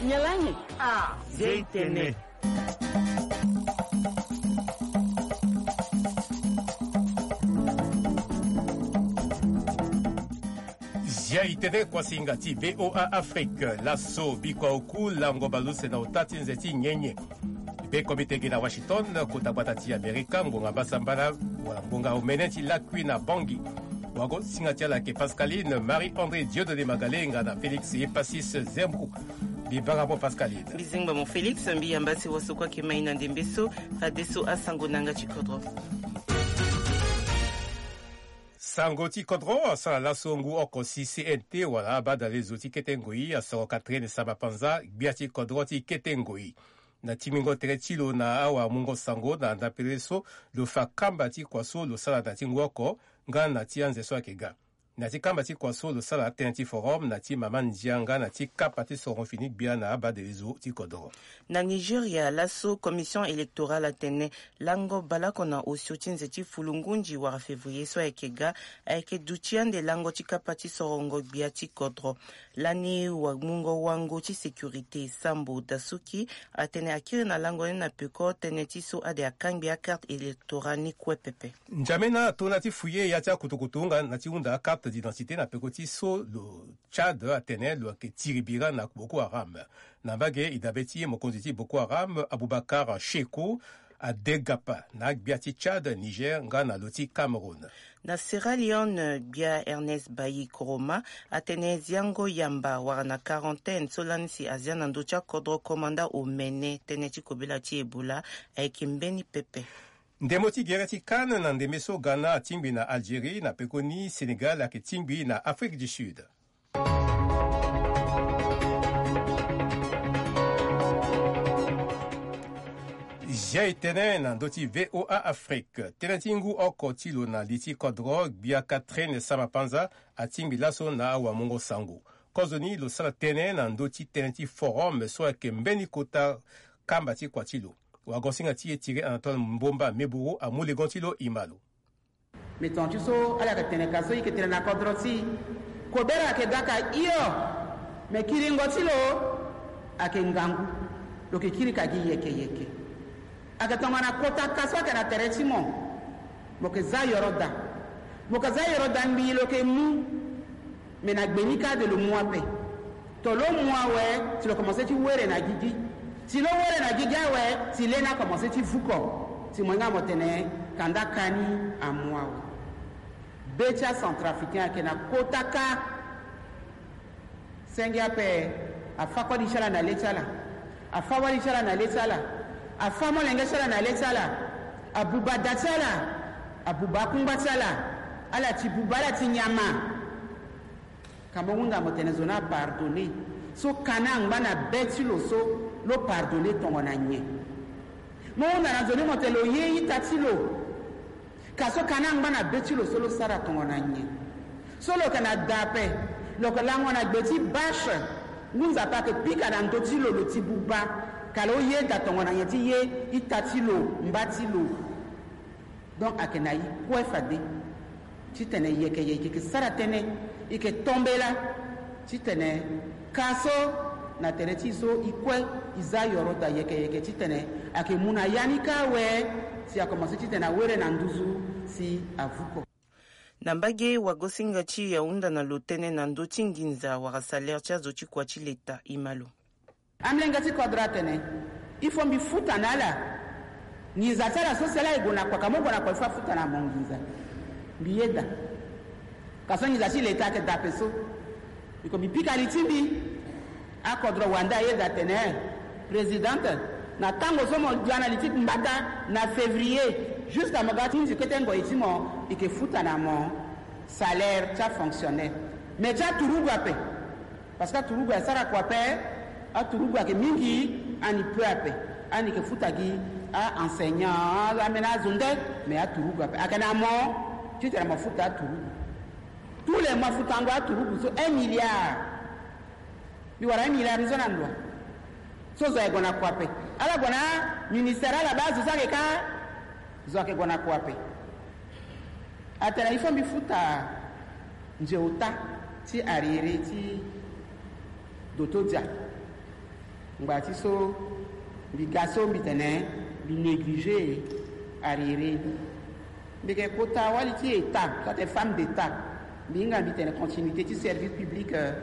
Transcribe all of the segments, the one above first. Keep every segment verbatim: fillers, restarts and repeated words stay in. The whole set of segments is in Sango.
Nyalangi. Ah, zia e tene. Zia e tene, kuasinga ti V O A Afrique. Laso bikua oku lango baleuse na ota ti nze ti nyenye. Be komite gi na Washington, kota gbata ti Amerika, ngonga mbasambala, wala ngonga omene ti lakui na Bangui. Wago singa ti ala ayeke Pascaline Marie André Dieudonné Magalenga na Félix Epasis Zembrou. Mbi bara mo Pascaline. Mbi zingba mo Félix, mbi yamba si waso kue ayeke mai na ndembe so, fadeso asango na yanga ti kodro. Sango ti kodro asara laso ngu oko si C N T wala abadalezo ti kete ngoi asoro Catherine Samba Panza, gbia ti kodro ti kete ngoi. Na tingbingo tere ti lo na awamungo sango na ndapere so, lo fa kamba ti kua so lo sara na ti ngu oko nga na ti anze so ayeke ga. Na ti kamba ti kua so lo sara tënë ti forum na ti mama ndia nga na ti kapa ti soron fini gbia na abadelezo ti kodro. Na Nigeria, laso commission électorale atene lango baleoko na osio ti nze ti fulungunzi wala février so ayeke ga, ayeke duti ande lango ti kapa ti sorongo gbia ti kodro. Lani wamungo wango ti sécurité Sambo Dasuki atene akiri na lango ni na peko tënë ti so ade akangbi acarte électorale ni kue pepe. Njamena ato na ti fouiller ya ti akutukutu nga na ti hunda acarte d'identité na peko ti so lo Tchad atene lo yeke tiri bira na Boko Haram. Na mbage e dabe ti mokonzi ti Boko Haram, Aboubacar Cheikou, adegapa na agbia ti Tchad, Niger nga na lo ti Cameroun. Na Sierra Leone, gbia Ernest Bailly Koroma atene ziango yamba wala na quarantaine so lani si azia na ndö ti akodro komanda omene tënë ti kobela ti Ebola ayeke mbeni pepe. Ndembo ti gere ti CAN na ndembe so Ghana atingbi na Algérie, na pekoni Sénégal ayeke tingbi na Afrique du Sud. Zia e tene na ndö ti V O A Afrique. Tënë ti ngu oko ti lo na li ti kodro, gbia Catherine Samba Panza atingbi laso na awamungo sango. Kozoni lo sara tënë na ndö ti tënë ti forum so ayeke mbeni kota kamba ti kua ti lo. Wagosinga ti e Thierry Anatole Mbomba Meburu amu legon ti lo, e ma lo. Me tonga ti so ala yeke tene ka so e yeke tene na kodro ti e. Kobela ayeke ga ka hio. Me kiringo ti lo ayeke ngangu. Lo yeke kiri ka gi yeke yeke. Ayeke tongana kota ka so ayeke na tere ti mo. Mo yeke za yoro daa. Mo yeke za yoro daa ngbii lo yeke mu. Me na gbe ni kâ de lo mu ape. To lo mu awe, si lo komanse ti were na gigi. Si lo were na gigi awe, si lê ni akomanse ti vuko. Si mo hinga mo tene kanda ka ni amu awe. Be ti acentrafricain ayeke na kota ka. Senge ape, afâ koli ti ala na lê ti ala. Afâ wali ti ala na lê ti ala. Afâ molenge ti ala na lê ti ala. Abuba da ti ala. Abuba akungba ti ala. Ala ti buba, ala ti nyama. Ka mo hunda mo tene zo ni apardonné. So ka ni angba na be ti lo so, lo pardonné tongana nyen? Mo hunda na zo ni mo tene lo ye ita ti lo. Ka so ka ni angba na be ti lo so lo sara tongana nyen? So lo yeke na da ape, lo yeke lango na gbe ti bâche. Ngu Nzapa ayeke pika na ndö ti lo, lo ti buba. Ka lo ye da tongana nyen ti ye ita ti lo, mba ti lo. Donc ayeke na e kue fade titene yeke yeke sara tënë, e yeke tombela titene ka so na tere ti e so e kue e za yoro daa yeke yeke titene ayeke mu na ya ni kâ awe, si akomanse titene awere na nduzu si avuko. Na mbage wagosinga ti e ahunda na lo tënë na ndö ti nginza wala salaire ti azo ti kua ti leta, e ma lo. Amolenge ti kodro atene, il faut mbi futa na ala. Nginza ti ala so si ala e gue na kua, ka mo gue na kua il faut afuta na mo nginza. Mbi yeda. Ka so nginza ti leta ayeke da ape so. Biko mbi pika li ti mbi. Akodro wande ayeda atene, présidente, na tango so mo dia na li ti mbata na février, jusqu'à mo ga ti nzi kete ngoi ti mo, e yeke futa na mo salaire ti afonctionnaire. Mais ti aturugu ape. Parce que aturugu asara kua ape. Aturugu ayeke mingi, ani peu ape. Ani yeke futa gi a-enseignant, ameni azo nde, mais aturugu ape. Ayeke na mo titene mo futa aturugu. Tous les mois futango aturugu so un milliard. Mbi wara un milliard ni so na ndo wa? So zo ayeke gue na kua ape. Ala gue na ministère, ala baa zo so ayeke kâ. Zo ayeke gue na kua ape. Atene il faut mbi futa nze ota ti arriéré ti doto dia. Ngba ti so mbi ga so mbi tene mbi négligé arriéré ni. Mbi yeke kota wali ti état, soit femme d'état. Mbi hinga mbi tene continuité ti service public, euh,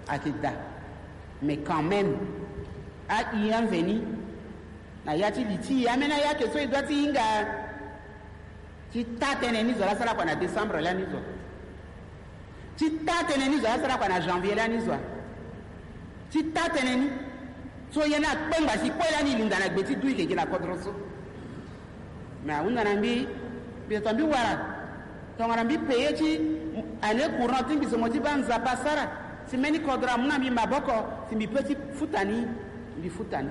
ayeke daa. Mais quand même, a-i anveni na ya ti li ti e, ambeni aya ayeke so e doit ti hinga ti taa tënë ni zo laa asara kua na décembre lani zo. Ti taa tënë ni zo laa asara kua na janvier lani zo. Ti taa tënë ni so ye ni akpengba si kue lani e linda na gbe ti du e yeke gi na kodro so. Mais ahunda na mbi, mbi tongana mbi wara, tongana mbi payer ti année courante ti mbi so mo ti baa Nzapa asara si mbeni kodro amu na mbi maboko si mbi peut ti futa ni, mbi futa ni.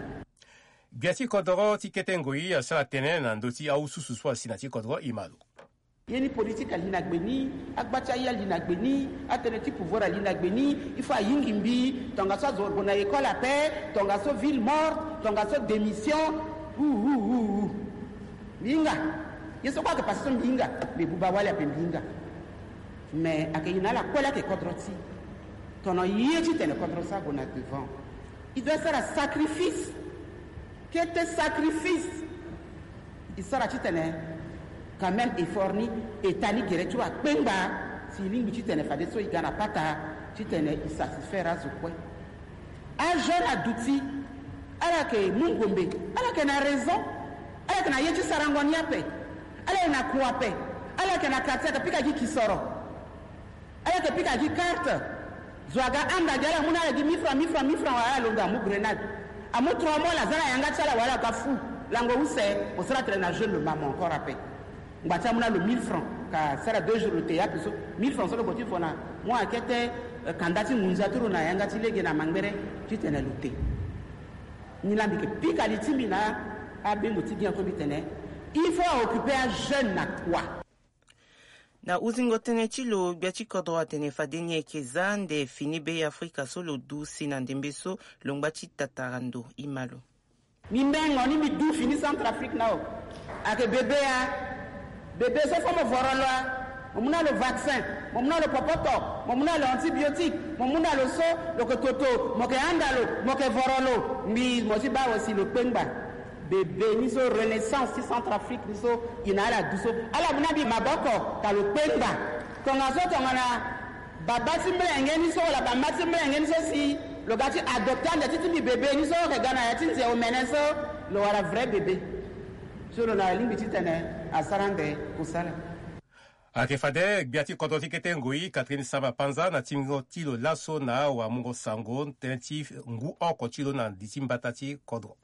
Gbia ti kodoro ti kete ngoi asara tënë na ndö ti ahususu so asi na ti kodoro e ma lo. Ye ni politique ali na gbe ni, agba ti aye ali na gbe ni, atënë ti pouvoir ali na gbe ni, il faut ayingi mbi, tongaso azo gue na école ape, tongaso ville morte, tongaso démission. Hu, hu, hu, hu. Mbi hinga. Ye so kue ayeke passé so mbi hinga. Mbi buba wali ape mbi hinga. Mais ayeke e na ala kue laa ayeke kodro ti e. Tono ye titene kodro so ague na devant, e doit sara sacrifice. Kete sacrifice e sara titene quand même effort ni, état ni gere ti lo akpengba si e lingbi titene fadeso e ga na pata titene e satisfaire azo kue. Ajeune aduti, ala yeke mu ngombe, ala yeke na raison, ala yeke na ye ti sarango ni ape, ala yeke na kua ape, ala yeke na quartier ape, pika gi kisoro. Ala yeke pika gi carte. Zo aga anda gi ala, amu na ala gi mille francs, mille francs, mille francs, wala ala londo amu grenade. Amu trois mois, ala za na yanga ti ala, wala aga fou. Lango use, mo sara tene na jeune lo mamo encore ape. Ngba ti amu na lo mille francs, ka sara deux jours lo te ya ape so. Mille francs so lo gue ti fo na mu akete, eh, kanda ti ngunza ti lo na yanga ti lege na mangbere titene lo te. Ni laa mbi yeke pika li ti mbi na abengo ti gi na so mbi tene, il faut a occuper ajeune na kua. Na uzingo tënë ti lo, gbia ti kodro atene fade ni ayeke za ande fini Be Afrika so lo du si na ndembe so lo ngba ti tatara ndo e ma lo. Mbi mengo ni mbi du fini Centrafrique na o. Ayeke bebe a. Bebe so fo mo voro lo a. Mo mu na lo vaccin, mo mu na lo popoto, mo mu na lo antibiotique, mo mu na lo so, lo yeke toto, mo yeke handa lo, mo yeke voro lo. Mbi mo ti baa awe si lo kpengba. Bebe ni so, renaissance ti Centrafrique ni so, e na ala du so. Ala mu na mbi maboko ka lo kpengba. Tongaso tongana baba ti mlenge ni so wala bamama ti mlenge ni so si lo ga ti adopter ande ti ti mbi bebe ni so, lo yeke ga na ya ti nze omene so, lo wara vrai bebe. So lo na lingbi titene asara ande kusala. Ayeke fade gbia ti kodro ti kete ngoi Catherine Samba Panza na tingo ti lo laso na awamungo sango tënë ti ngu oko ti lo na li ti mbata ti kodro.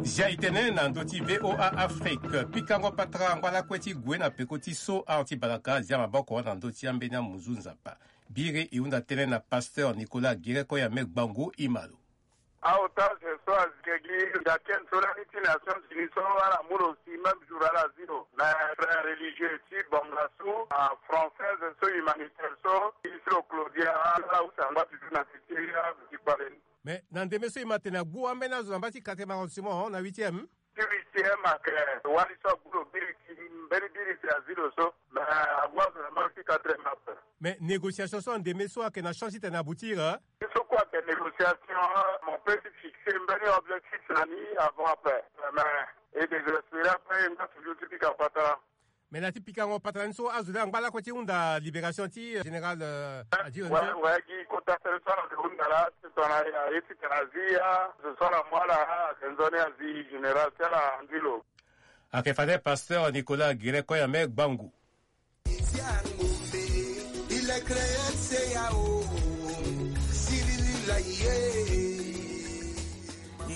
Zia e tene na ndö ti V O A Afrique, pikango patara angba lakue ti gue na peko ti so ahon ti balaka, zia maboko na ndö ti ambeni amunzu Nzapa. Biri e hunda tënë na pasteur Nicolas Guéret Koyame Gbangu e ma lo. Aota azo so azi ke gi nda ken so lani ti Nations Unies so ala mu lo si même jour ala zi lo. Mais frère religieux ti Bangassou, ah, française so humanitaire so, iri ti lo Claudia, ala use angba toujours na ti ti azo ti kpale ni. Mais na ndembe so e ma tene agbu ambeni azo na mbage ti quatrième arrondissement na huitième. Ti huitième ayeke wali so agbu lo biri ti mbeni biri si azi lo so. Mais agbu azo na mbage ti quatrième ape. Mais négociation so na ndembe so ayeke na chance titene aboutir, hein? Ti so kue ayeke négociation, mo peut ti fixer mbeni objectif na ni avant ape. Mais e désespérer ape, e nga toujours ti pika patara. Mais na ti pikango patara ni so azo laa angba lakue ti hunda libération ti, euh, général, euh, Adjiri Nzé. Ouais, ouais, gi kota tënë so ala yeke hunda laa, tongana aye titene azi ya, zo so ala mu ala, ayeke nzoni azi général ti ala andi lo. Ayeke fade pasteur Nicolas Guéret Koyame Gbangu.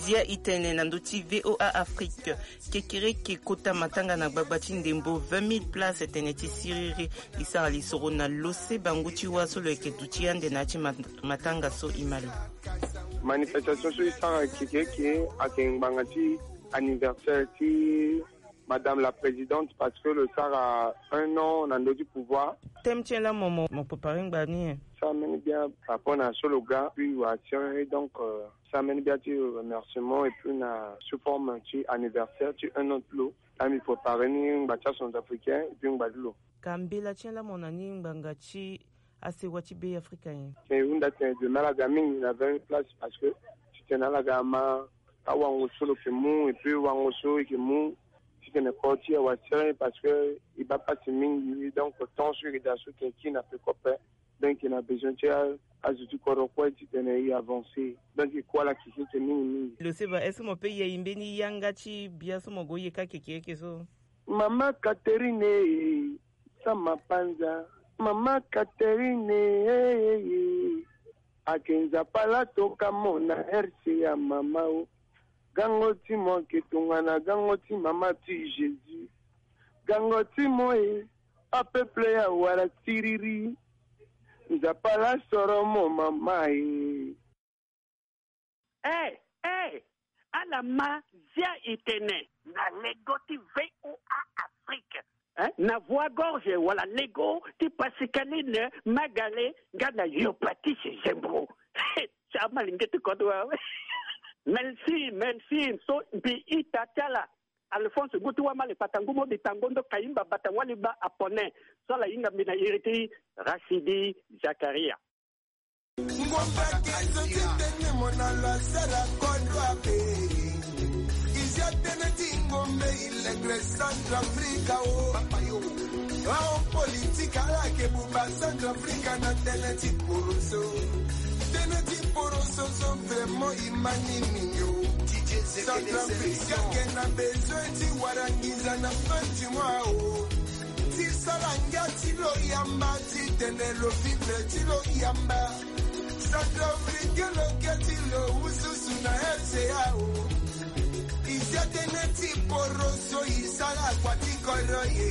Zia e tene na ndö ti V O A Afrique. Kekereke kota matanga na gbagba ti ndembo, vingt mille places tene ti siriri. E sara lisoro na lose bangu ti wâ so lo yeke duti ande na ya ti mat-, matanga so e ma lo. Manifestation so e sara kekereke ayeke ngbanga ti anniversaire ti Madame la Présidente, parce que lo sara un an na ndö ti pouvoir. Thème ti nyen laa mo, mo, mo préparer ngba ni, hein? Sara mbeni bien par rapport na so lo ga, puis wala ti un, et donc, euh, sara mbeni bien ti remerciement, et puis na sous forme ti anniversaire ti un an ti lo. Laa mbi préparer ni ngba ti acentrafricain, et puis ngba ti lo. Ka mbela ti ala mo na ni ngbanga ti asewa ti Be Afrika nyen? E hunda tene de malaga mingi na vingt place parce que titene alaga ama awango so lo yeke mu et puis wango so e yeke mu titene koro ti e awa sere parce que e baa pasi mingi. Donc temps so e yeke daa so tene kiri na peko ape. Donc e na besoin ti azo ti kodro kue titene e avancer. Donc e ku ala keke eke mingi mingi. Lo seba est-ce que mo pe yei mbeni yanga ti bia so mo gue yeka keke eke so? Mama Catherine e, sama panza. Mama Catherine e, e, e. Ake Nzapa la toka mo na R C A mama o. Gango ti mo ake tongana gango ti mama ti Jésus. Gango ti mo e, apeuple ya wara tiriri. Nzapa la soro mo mama e. Eh, eh, ala ma zia e tene. Na lego ti V O A Afrique. Eh, na voix gorge wala lego ti Pascaline Magale nga na yo Patrice Zembo. Ti amalenge ti kodro awe. Merci, merci. So mbi ita ti ala. Alphonse ngu ti wamale kpata ngu mo mbi tango ndo kayimba bata wali ba apone. So ala hinga mbi na iri ti Rachidi Zakaria. Ngombe ake zo ti tene mo na lo asara kodro ape. E zia tënë ti ngombe e lengre Centrafrique o. Ahomme politique ala yeke buba Centrafrique na tënë ti poroso. Tënë ti poroso so vraiment e ma ni mingi o. Centrafrique ayeke na besoin ti wara nginza na fin du mois o. Ti sara ngia ti lo yamba titene lo vivre ti lo yamba. Centrafrique lo ge ti lo wu susu na R C A o. E zia tënë ti poroso e sara kua ti kodro ye.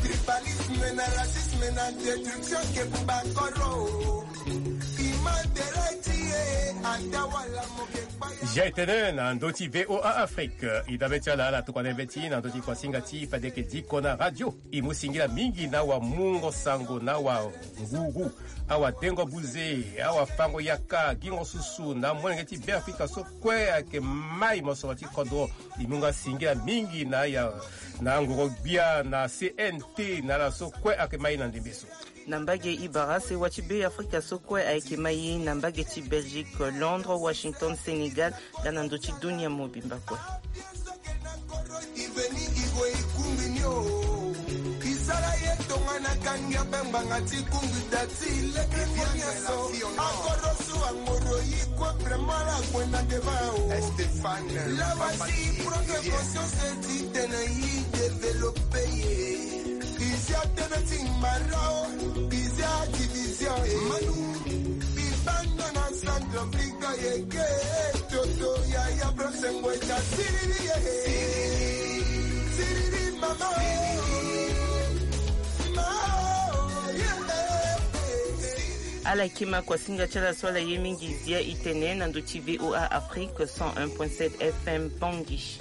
Tribalisme na racisme na destruction ke buba kodro o. E ma tere ti e ata wala mo ke kpaya. Zia e tene na ndö ti V O A Afrique. E dabe ti ala ala tokua na yebe ti e na ndö ti kuasinga ti e fade yeke diko na radio. E mu singila mingi na awamungo sango na awangugu, awadengo buze, awafango yaka, gingo susu na amolenge ti Be Afrika so kue ayeke mai mosoro ti kodro. E mu nga singila mingi na ya na ngoro gbia na C N T na ala so kue ayeke mai na ndembe so. Na mbage e bara sewa ti Be Afrika so kue ayeke mai na mbage ti Belgique, Londres, Washington, Sénégal, nga na ndö ti dunia mobimba kue. I veni i gue i kungbi ni o. I sara ye tongana kangia be ngbanga ti kungbi da ti leke mo nyonso. Akoro so angoro i kue vraiment la gue na devant o. Stéphane, lawa si i prendre conscience ti tene i développer ye. I zia tënë ti mara o. I zia division e. Manu. Bibanda na Centrafrique yeke toto yaya bro sengo eta siriri ye. Siriri mama. Ma, yeah. Ala yeke ma kuasinga ti ala so ala ye mingi zia e tene na ndö ti V O A Afrique cent un point sept F M Bangui.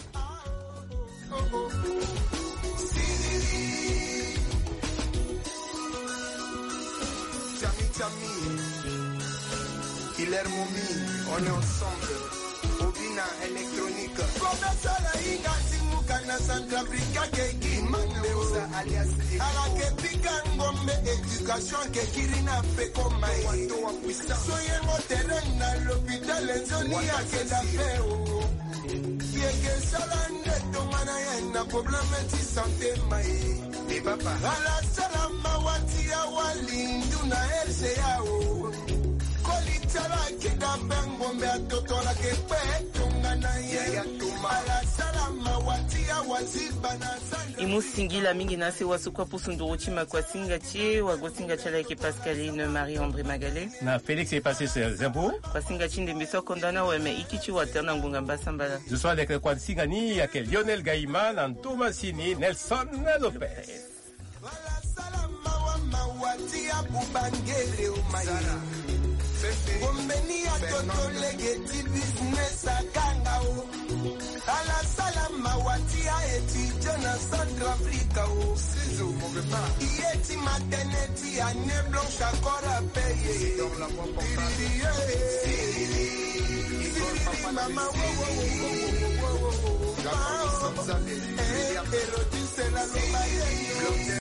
Chami, chami. Killer Momi, on est ensemble. Obina électronique. Kobasala inga ti muka na Centrafrique ke gi Mandeusa alias. Ala ke pika ngombe éducation ke kiri na peko mai. So yengo terrain na l'hôpital nzoni ake da pe o. Yeke sala nde tongana ye na problème ti santé mai. Ala sala mawa ti awa lindu na R C A o. Koli ti ala ayeke da be ngombe atoto ala yeke kpe tongana ye. Ala sala mawa ti awa ziba na sanda. E mu singila mingi na asewa so kue apusu nduru ti ma kuasinga ti e, wagosinga ti ala ayeke Pascaline Marie André Magale. Na Félix Epasis Zembo. Kuasinga ti ndembe so akonda na weme iki ti water na ngonga mbasambala. Zo so aleke kuasinga ni ayeke Lionel Gaïma na ndo masini Nelson Lopez. Ala sala mawa mawa ti abuba ngere o mai. Ngombe ni atoto lege ti business akanga o. Ala sala mawa ti a-étudiant na Centrafrique o. I ye ti maternité année blanche akora peye. Siriri, siriri, mama, wo, wo, wo. Eh, Hérodis, c'est la loi.